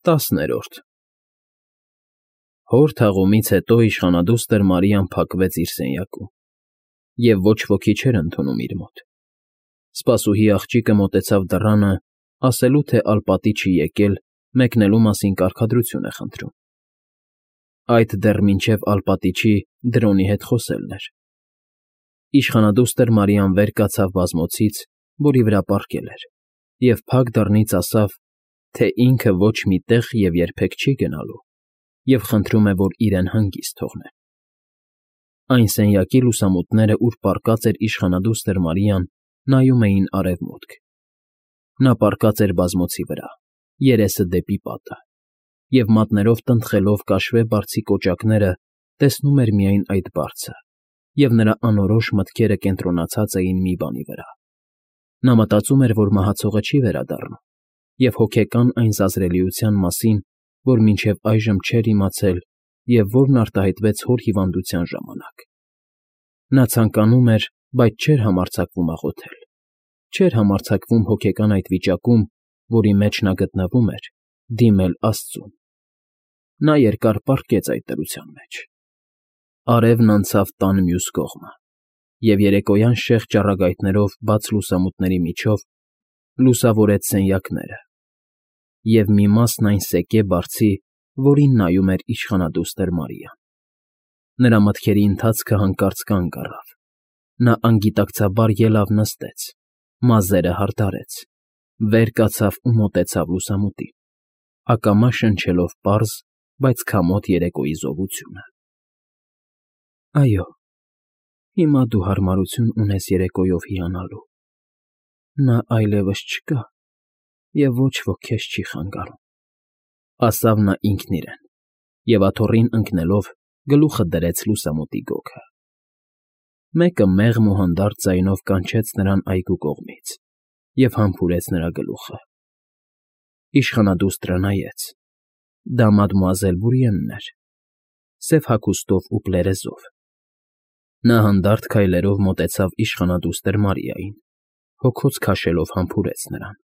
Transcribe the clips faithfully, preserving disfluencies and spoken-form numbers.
ՏԱՍՆԵՐՈՐԴ Հոր թաղումից հետո իշխանադուստր Մարիան փակվեց իր սենյակում և ոչ ոքի չէր ընդունում իր մոտ. սպասուհի աղջիկը մոտեցավ դռանը, ասելու, թե ալպատի չի եկել, մեկնելու մասին կարգադրություն է խնդրում. այդ դեռ մինչև ալպատի չի, Դրոնի հետ խոսելն էր. իշխանադուստր Մարիան վեր կացավ բազմոցից, որի վրա պառկել էր, և փակ դռնից ասավ, թե ինքը ոչ մի տեղ և երբեք չի գնալու և խնդրում է, որ իրեն հանգիստ թողնեն. Այն սենյակի լուսամուտները, ուր պառկած էր իշխանադուստր Մարիան, նայում էին արևմուտք. նա պառկած էր բազմոցի վրա, երեսը դեպի պատը, և մատներով տնտղելով կաշվե բարձի կոճակները, տեսնում էր միայն այդ բարձը, և նրա անորոշ մտքերը կենտրոնացած էին մի բանի վրա. նա մտածում էր, որ մահացողը չի վերադառնա, և հոգեկան այն զազրելիության մասին, որ մինչև այժմ չէր իմացել և որն արտահայտվեց հոր հիվանդության ժամանակ. նա ցանկանում էր, բայց չէր համարձակվում աղոթել, չէր համարձակվում հոգեկան այդ վիճակում, որի մեջ նա գտնվում էր, դիմել աստծուն. նա երկար պառկեց այդ դրության մեջ. արևն անցավ տան մյուս կողմը, և երեկոյան շեղ ճառագայթներով բաց լուսամուտների միջով լուսավորեց սենյակները և մի մասն այն սեկե բարձի, որին նայում էր իշխանադուստր Մարիան. նրա մտքերի ընթացքը հանկարծ կանգ առավ, նա անգիտակցաբար ելավ նստեց, մազերը հարդարեց, վեր կացավ ու մոտեցավ լուսամուտին, ակամա շնչելով պարզ, բայց քամոտ երեկոյի զովությունը. այո, հիմա դու հարմարություն ունես երեկոյով հիանալու, նա այլևս չկա և ոչ ոք քեզ չի խանգարում, ասավ նա ինքն իրեն և աթոռին ընկնելով գլուխը դրեց լուսամուտի գոգը. մեկը մեղմ ու հանդարտ ձայնով կանչեց նրան այգու կողմից և համբուրեց նրա գլուխը. իշխանադուստրը նայեց. դա մադմուազել Բորիենն էր, սև հագուստով ու պլերեզով. նա հանդարտ քայլերով մոտեցավ իշխանադուստր Մարիային, հոգոց քաշելով համբուրեց նրան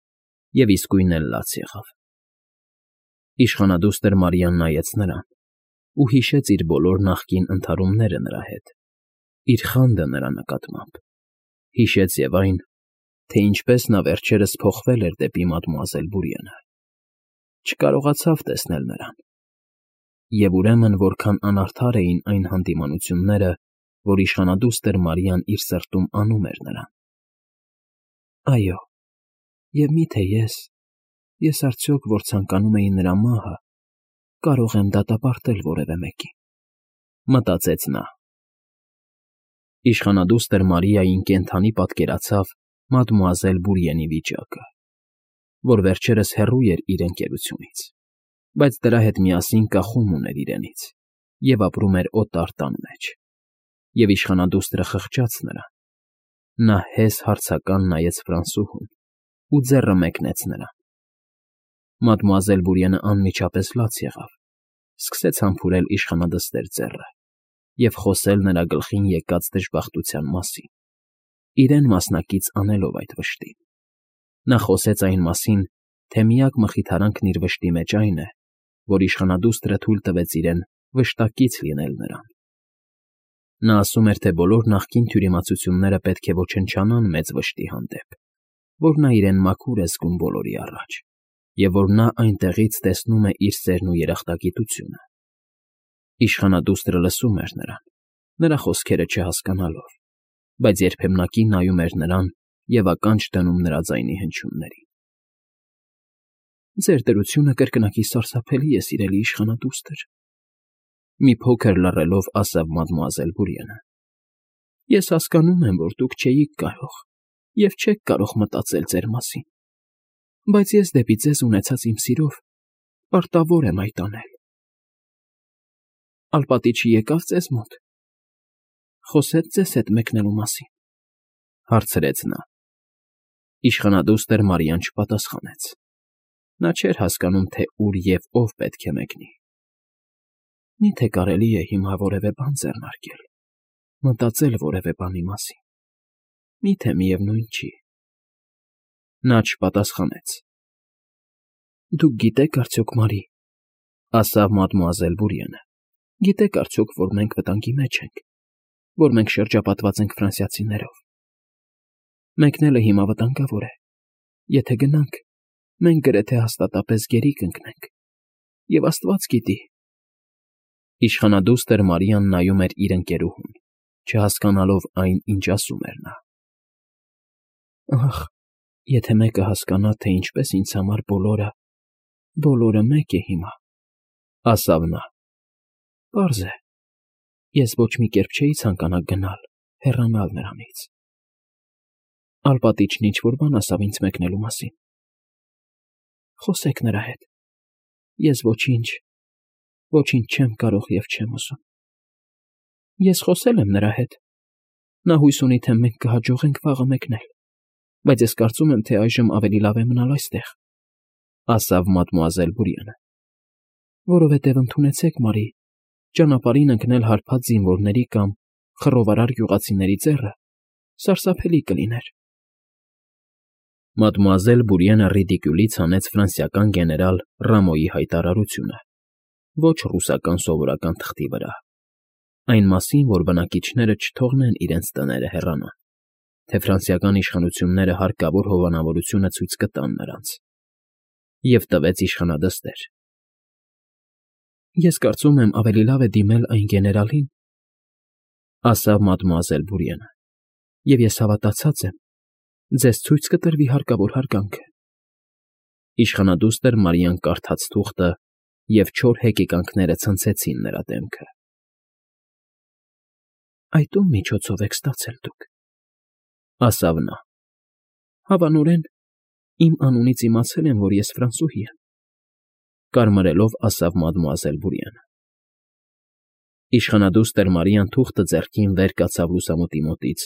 և իսկույն էլ լաց եղավ. Իշխանադուստր Մարիան նայեց նրան ու հիշեց իր բոլոր նախկին ընդհարումները նրա հետ, իր խանդը նրա նկատմամբ, հիշեց և այն, թե ինչպես նա վերջերս փոխվել էր դեպի մադմուազել Բորիենը, չկարողացավ տեսնել նրան, և ուրեմն որքան անարդար էին այն հանդիմանությունները, որ իշխանադուստր Մարիան իր սրտում անում էր նրան. այո, և մի՞թե ես, ես արդյոք, որ ցանկանում էի նրա մահը, կարող եմ դատապարտել որևէ մեկին, մտածեց նա. Իշխանադուստր Մարիային կենդանի պատկերացավ մադմուազել Բորիենի վիճակը, որ վերջերս հեռու էր իր ընկերությունից, բայց դրա հետ միասին կախում ուներ իրենից և ապրում էր օտար տան մեջ, և իշխանադուստրը խղճաց նրան, նա հեզ հարցական նայեց Ֆրանսուհուն ու ձեռը մեկնեց նրան. մադմուազել Բորիենը անմիջապես լաց եղավ, սկսեց համբուրել իշխանադստեր ձեռը և խոսել նրա գլխին եկած դժբախտության մասին, իրեն մասնակից անելով այդ վշտին. նա խոսեց այն մասին, թե միակ մխիթարանքն իր վշտի մեջ այն է, որ իշխանադուստրը թույլ տվեց իրեն վշտակից լինել նրան. նա ասում էր, թե բոլոր նախկին թյուրիմացությունները պետք է ոչնչանան մեծ վշտի հանդեպ, որ նա իրեն մաքուր է զգում բոլորի առաջ, և որ նա այնտեղից տեսնում է իր սերն ու երախտագիտությունը. Իշխանադուստրը լսում էր նրան, նրա խոսքերը չհասկանալով, բայց երբեմնակի նայում էր նրան և ականջ դնում նրա ձայնի հնչյուններին. ձեր դրությունը կրկնակի սարսափելի է, սիրելի իշխանադուստր, մի փոքր լռելով ասավ մադմուազել Բորիենը. ես հասկանում եմ, որ դուք չէիք կարող և չեք կարող մտածել ձեր մասին, բայց ես դեպի ձեզ ունեցած իմ սիրով պարտավոր եմ այդ անել. ալպատի չի եկա՞վ ձեզ մոտ, խոսե՞ց ձեզ հետ մեկնելու մասին, հարցրեց նա. Իշխանադուստր Մարիան չպատասխանեց, նա չէր հասկանում, թե ուր և ով պետք է մեկնի. մի՞թե կարելի է հիմա որևէ բան ձեռնարկել, մտածել որևէ բանի մասին, մի՞թե միևնույն չի. նա չպատասխանեց, Դուք գիտեք արդյոք, Մարի, ասավ մադմուազել Բուրիենը, գիտեք արդյոք, որ մենք վտանգի մեջ ենք, որ մենք շրջապատված ենք ֆրանսիացիներով։ Մեկնելը հիմա վտանգավոր է։ Եթե գնանք, մենք գրեթե հաստատապես գերի կընկնենք։ Եվ Աստված գիտի։ Իշխանադուստր Մարիան նայում էր իր ընկերուհուն, չհասկանալով այն, ինչ ասում էր նա։ Ախ, եթե մեկը հասկանա, թե ինչպես ինձ համար բոլորը, բոլորը մեկ է հիմա, ասավ նա։ Պարզ է, ես ոչ մի կերպ չէի ցանկանա գնալ, հեռանալ նրանից։ Ալպատիչն ինչ-որ բան ասավ ինձ մեկնելու մասին։ Խոսեք նրա հետ։ Ես ոչինչ, ոչինչ չեմ կարող և չեմ ուզում։ Ես խոսել եմ նրա հետ։ Նա հույս ունի, թե մենք կհաջողենք վաղը մեկնել, բայց ես կարծում եմ, թե այժմ ավելի լավ է մնալ այստեղ, ասավ մադմուազել Բուրիենը։ Որովհետև ընդունեցեք, Մարի, ճանապարհին ընկնել հարբած զինվորների կամ խռովարար գյուղացիների ձեռը սարսափելի կլիներ։ Մադմուազել Բուրիենը ռիդիկյուլից հանեց ֆրանսիական գեներալ Ռամոյի հայտարարությունը, ոչ ռուսական սովորական թղթի վրա, այն մասին, որ բնակիչները չթողնեն իրենց տները հեռանան, թե ֆրանսիական իշխանությունները հարկավոր հովանավորությունը ցույց կտան նրանց, և տվեց իշխանադստեր։ Ես կարծում եմ, ավելի լավ է դիմել այն գեներալին, ասավ մադմուազել Բուրիենը, և ես հավատացած եմ, ձեզ ցույց կտրվի հարկավոր հարգանքը։ Իշխանադուստր Մարիան կարդաց թուղթը, և չոր հեկեկանքները ցնցեցին նրա դեմքը։ Այդ ո՞ւմ միջոցով եք ստացել դուք, ասավ նա։ Հավանորեն, իմ անունից իմացել են, որ ես ֆրանսուհի եմ, կարմրելով ասավ մադմուազել Բուրիենը։ Իշխանադուստր Մարիան թուղթը ձեռքին վեր կացավ լուսամուտի մոտից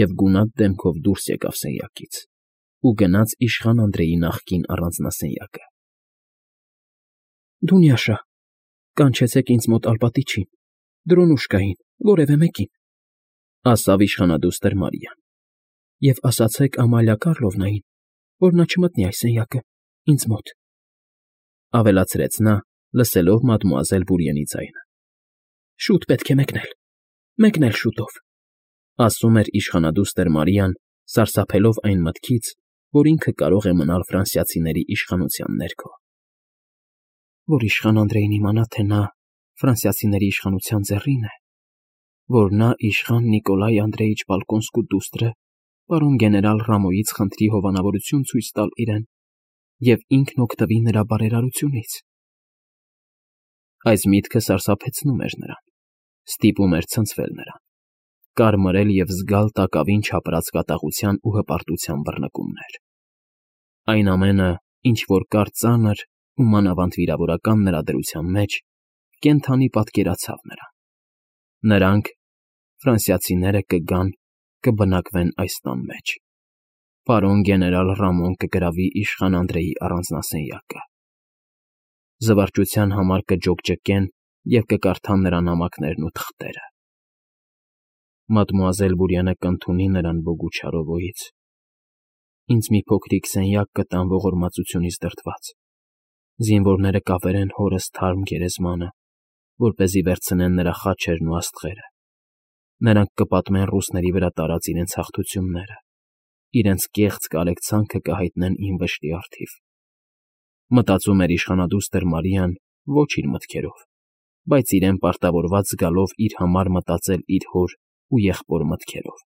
և գունատ դեմքով դուրս եկավ սենյակից ու գնաց իշխան Անդրեի նախկին առանձնասենյակը։ Դունյաշա, կանչեցեք ինձ մոտ Ալպատիչին, Դրոնուշկային, որևէ մեկին, ասավ իշխանադուստր Մարիան, և ասացեք Ամալիա Կառլովնային, որ նա չմտնի այս սենյակը, ինձ մոտ, ավելացրեց նա, լսելով մադմուազել Բուրիենի ձայնը։ Շուտ պետք է մեկնել, մեկնել շուտով, ասում էր իշխանադուստր Մարիան, սարսափելով այն մտքից, որ ինքը կարող է մնալ ֆրանսիացիների իշխանության ներքո։ Որ իշխան Անդրեին իմանա, թե նա ֆրանսիացիների իշխանության ձեռին է, որ նա իշխան Նիկոլայ Անդրեիչ Պոլկոնսկու դուստրը պարոն գեներալ Ռամոյից խնդրի հովանավորություն ցույց տալ իրեն և ինքն օգտվի նրա բարերարությունից։ Այս միտքը սարսափեցնում էր նրան, ստիպում էր ցնցվել նրան, կարմրել և զգալ տակավին չապրած կատաղության ու հպարտության բռնկումներ։ Այն ամենը, ինչ որ կար ծանր ու մանավանդ վիրավորական նրա դրության մեջ, կենդանի պատկերացավ նրան։ Նրանք, ֆրանսիացիները, կգան, կբնակվեն այս տան մեջ։ Պարոն գեներալ Ռամոն կգրավի իշխան Անդրեի առանձնասենյակը։ Զվարճության համար կջոկջկեն և կկարդան նրա նամակներն ու թղթերը։ Մադմուազել Բուրիենը կընդունի նրան բոգու չարովոյից։ Ինձ մի փոքրիկ սենյակ կտան ողորմածությունից դրդված։ Զինվորները կավերեն հորս թարմ գերեզմանը, որպեսզի վերցնեն նրա խաչերն ու աստղերը։ Նրանք կպատմեն ռուսների վրա տարած իրենց հաղթությունները, իրենց կեղծ կարեկցանքը կհայտնեն իմ վշտի առթիվ։ Մտածում էր իշխանադուստր Մարիան ոչ իր մտքերով, բայց իրեն պարտավորված զգալով իր համար մտածել իր հոր ու եղբոր մտքերով։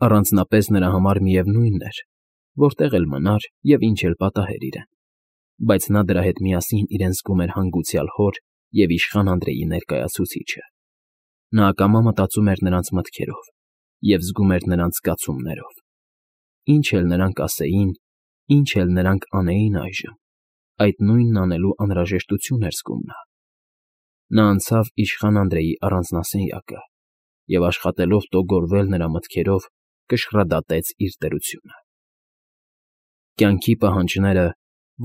Առանձնապես նրա համար միևնույն էր, որտեղ էլ մնար և ինչ էլ պատահեր իրեն, բայց նա դրա հետ միասին իրեն զգում էր հանգուցյալ հոր և իշխան Անդրեի ներկայացուցիչը։ Նա ակամա մտածում էր նրանց մտքերով և զգում էր նրանց զգացումներով։ Ինչ էլ նրանք ասեին, ինչ էլ նրանք անեին այժմ, այդ նույնն անելու անհրաժեշտություն էր զգում նա։ Նա անցավ իշխան Անդրեի առանձնասենյակը և աշխատելով տոգորվել նրա մտքերով, կշռադատեց իր դրությունը։ Կյանքի պահանջները,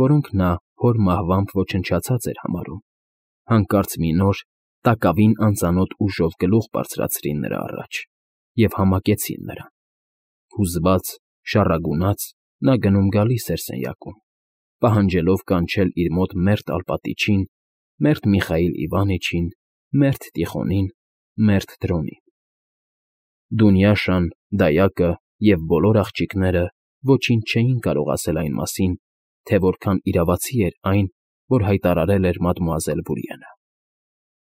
որոնք նա հոր մահվամբ ոչնչացած էր համարում, հանկարծ մի նոր, տակավին անծանոթ ուժով գլուխ բարձրացրին նրա առաջ և համակեցին նրան։ Հուզված, շառագունած՝ նա գնում֊գալիս էր սենյակում, պահանջելով կանչել իր մոտ մերթ Ալպատիչին, մերթ Միխայիլ Իվանիչին, մերթ Տիխոնին, մերթ Դրոնին։ Դունյաշան, Դայակը և բոլոր աղջիկները ոչինչ չէին կարող ասել այն մասին, թե որքան իրավացի էր այն, որ հայտարարել էր մադմուազել Բուրիենը։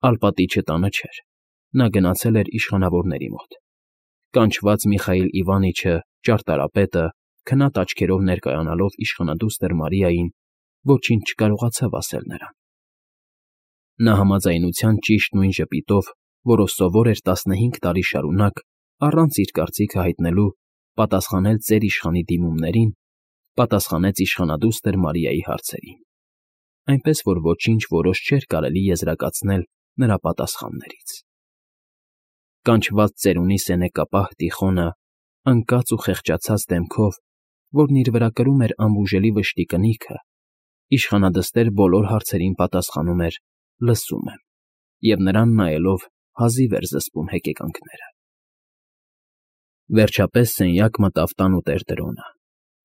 Ալպատիչը տանը չէր, նա գնացել էր իշխանավորների մոտ։ Կանչված Միխայիլ Իվանիչը, ճարտարապետը, քնած աչքերով ներկայանալով իշխանադուստր Մարիային, ոչինչ չկարողացավ ասել նրան։ Նա համաձայնության ճիշտ նույն ժպիտով, որով սովոր էր տասնհինգ տարի շարունակ, առանց իր կարծիքը հայտնելու, պատասխանել ծեր իշխանի դիմումներին, պատասխանեց իշխանադուստր Մարիայի հարցերին, այնպես որ ոչինչ որոշ չէր կարելի եզրակացնել նրա պատասխաններից։ Կանչված ծերունի սենեկապահ Տիխոնը, ընկած ու խեղճացած դեմքով, որն իր վրա կրում էր անբուժելի վշտի կնիքը, իշխանադստեր բոլոր հարցերին պատասխանում էր «լսում եմ» և նրան նայելով հազիվ էր զսպում հեկեկանքները։ Վերջապես սենյակ մտավ տանուտեր Տրոնը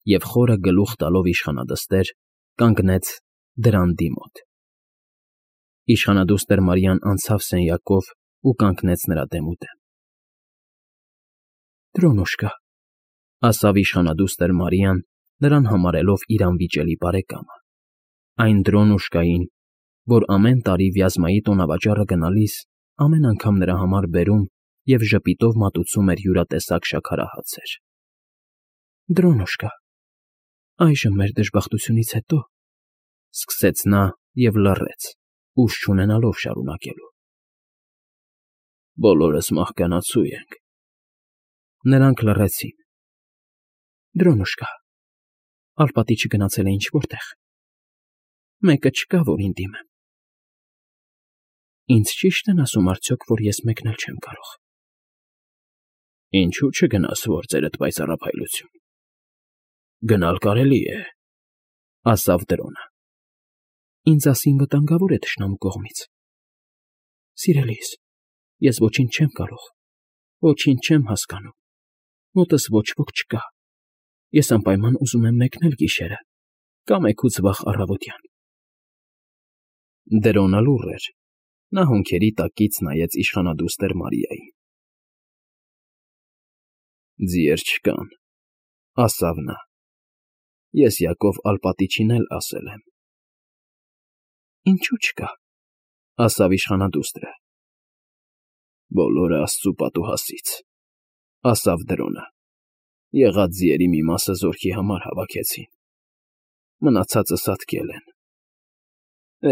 և խորը գլուխ տալով իշխանադստեր, կանգնեց դրանդի մոտ։ Իշխանադուստր Մարիան անցավ սենյակով ու կանգնեց նրա դեմուդեմ։ Դրոնուշկա, ասավ իշխանադուստր Մարիան, նրան համարելով իր անվիճելի բարեկամը, այն Դրոնուշկային, որ ամեն տարի Վյազմայի տոնավաճառը գնալիս ամեն անգամ նրա համար բերում և ժպիտով մատուցում էր յուրատեսակ շաքարահացեր։ Դրոնուշկա, այժմ մեր դժբախտությունից հետո, սկսեց նա և լռեց, ուժ չունենալով շարունակելու։ Բոլորս մահկանացու ենք։ Նրանք լռեցին։ Դրոնուշկա, Ալպատիչը գնացել է ինչ֊որ տեղ։ Մեկը չկա, որ դիմեմ։ Ինձ ճի՞շտ են ասում արդյոք, որ ես մեկնել չեմ կարող։ Ինչու՞ չգնաս, որ ծերդ պայծառափայլություն։ Գնալ կարելի է, ասավ Դրոնը։ Ինձ ասին վտանգավոր է թշնամու կողմից։ Սիրելիս, ես ոչինչ չեմ կարող, ոչինչ չեմ հասկանում, մոտս ոչ ոք չկա։ Ես անպայման ուզում եմ մեկնել գիշերը կամ էգուց վաղ առավոտյան։ Դրոնը լուռ էր, նա հոնքերի տակից նայեց իշխանադուստր Մարիային։ Ձիեր չկան, ասավ նա, ես Յակով Ալպատիչին էլ ասել եմ։ Ինչու՞ չկա, ասավ իշխանադուստրը։ Բոլորը աստծու պատուհասից, ասավ Դրոնը, եղած ձիերի մի մասը զորքի համար հավաքեցին, մնացածը սատկել են։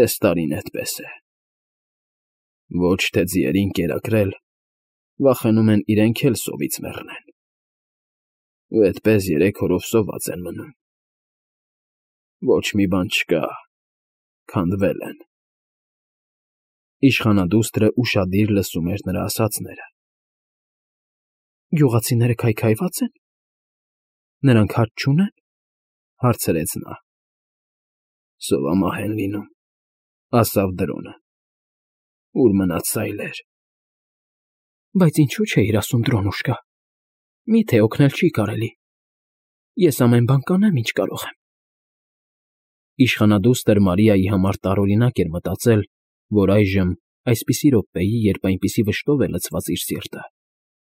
Էս տարին էդպես է։ Ոչ թե ձիերին կերակրել, վախենում են իրենք էլ սովից մեռնեն։ Ու էդպես երեք օրով սոված են մնում։ Ոչ մի բան չկա, քանդվել են։ Իշխանադուստրը ուշադիր լսում էր նրա ասածները։ Գյուղացիները քայքայվա՞ծ են։ Նրանք հարճ չունե՞ն, հարցրեց նա։ Սովամահ են լինում, ասավ Դրոնը։ Ուր մնաց սայլեր։ Բայց ինչու՞ չէիր ասում, Դրոնուշկա։ Միթե օգնել չի կարելի։ Ես ամեն բան կանեմ, ինչ կարող եմ։ Իշխանադուստր Մարիայի համար տարօրինակ էր մտածել, որ այժմ, այսպիսի րոպեի, երբ այնպիսի վշտով է լցված իր սիրտը,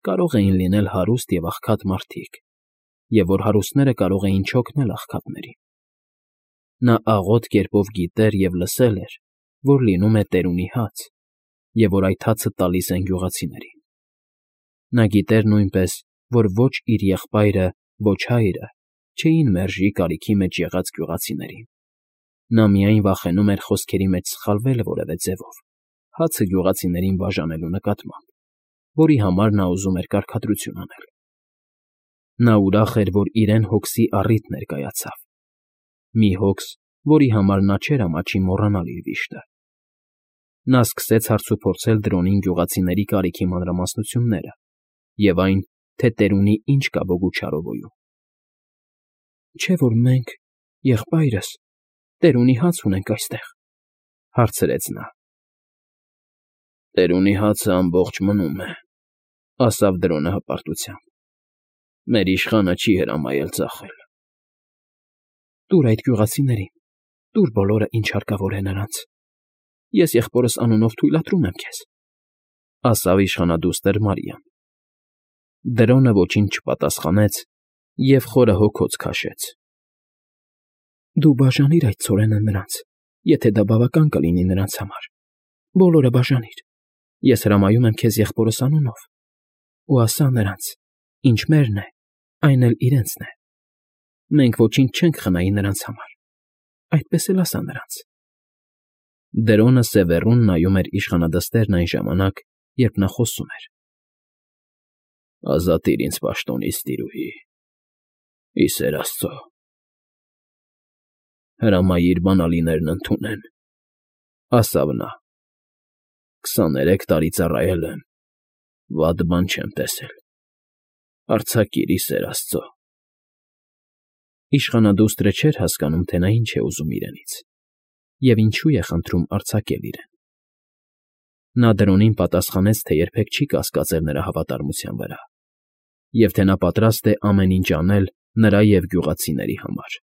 կարող էին լինել հարուստ և աղքատ մարդիկ, և որ հարուստները կարող էին չօգնել աղքատներին։ Նա աղոտ կերպով գիտեր և լսել էր, որ լինում է տերունի հաց, և որ այդ հացը տալիս են գյուղացիներին։ Նա գիտեր նույնպես, որ ոչ իր եղբայրը, ոչ հայրը չէին մերժի կարիքի մեջ եղած գյուղացիներին։ Նա միայն վախենում էր խոսքերի մեջ սխալվել որևէ ձևով, հացը գյուղացիներին բաժանելու նկատմամբ, որի համար նա ուզում էր կարգադրություն անել։ Նա ուրախ էր, որ իրեն հոգսի առիթ ներկայացավ։ Մի հոգս, որի համար նա չէր ամաչի մոռանալ իր վիշտը։ Նա սկսեց հարցուփորձել Դրոնին գյուղացիների կարիքի մանրամասնությունները և այն, թե տերունի ինչ կա Բոգուչարովոյում։ Չէ՞ որ մենք, եղբայրս, տերունի հաց ունենք այստեղ, հարցրեց նա։ Տերունի հացը ամբողջ մնում է, ասավ Դրոնը հպարտությամբ։ Մեր իշխանը չի հրամայել ծախել։ Տուր այդ գյուղացիներին, Տուր բոլորը, ինչ հարկավոր է նրանց։ Ես եղբորս անունով թույլատրում եմ քեզ, ֊ ասավ իշխանադուստր Մարիան։ Դրոնը ոչինչ չպատասխանեց և խորը հոգոց քաշեց։ ֊ Դու բաժանիր այդ ցորենը նրանց, եթե դա բավական կլինի նրանց համար, բոլորը բաժանիր, ես հրամայում եմ քեզ եղբորս անունով, ու ասա նրանց. ինչ մերն է, այն էլ իրենցն է. մենք ոչինչ չենք խնայի նրանց համար, այդպես էլ ասա նրանց։ Դրոնը սևեռուն նայում էր իշխանադստերն այն ժամանակ, երբ նա խոսում էր։ ֊ Ազատիր ինձ պաշտոնից, տիրուհի, ի սեր Աստծո, հրամայիր բանալիներն ընդունեն, ֊ ասավ նա։ քսաներեք տարի ծառայել եմ, վատ բան չեմ տեսել, արձակիր, ի սեր Աստծո։ Իշխանադուստրը չէր հասկանում, թե նա ինչ է ուզում իրենից և ինչու է խնդրում արձակել իրեն։ Նա դրոնին պատասխանեց, թե երբեք չի կասկածել նրա հավատարմության վրա և թե նա պատրաստ է ամեն ինչ անել նրա և գյուղացիների համար։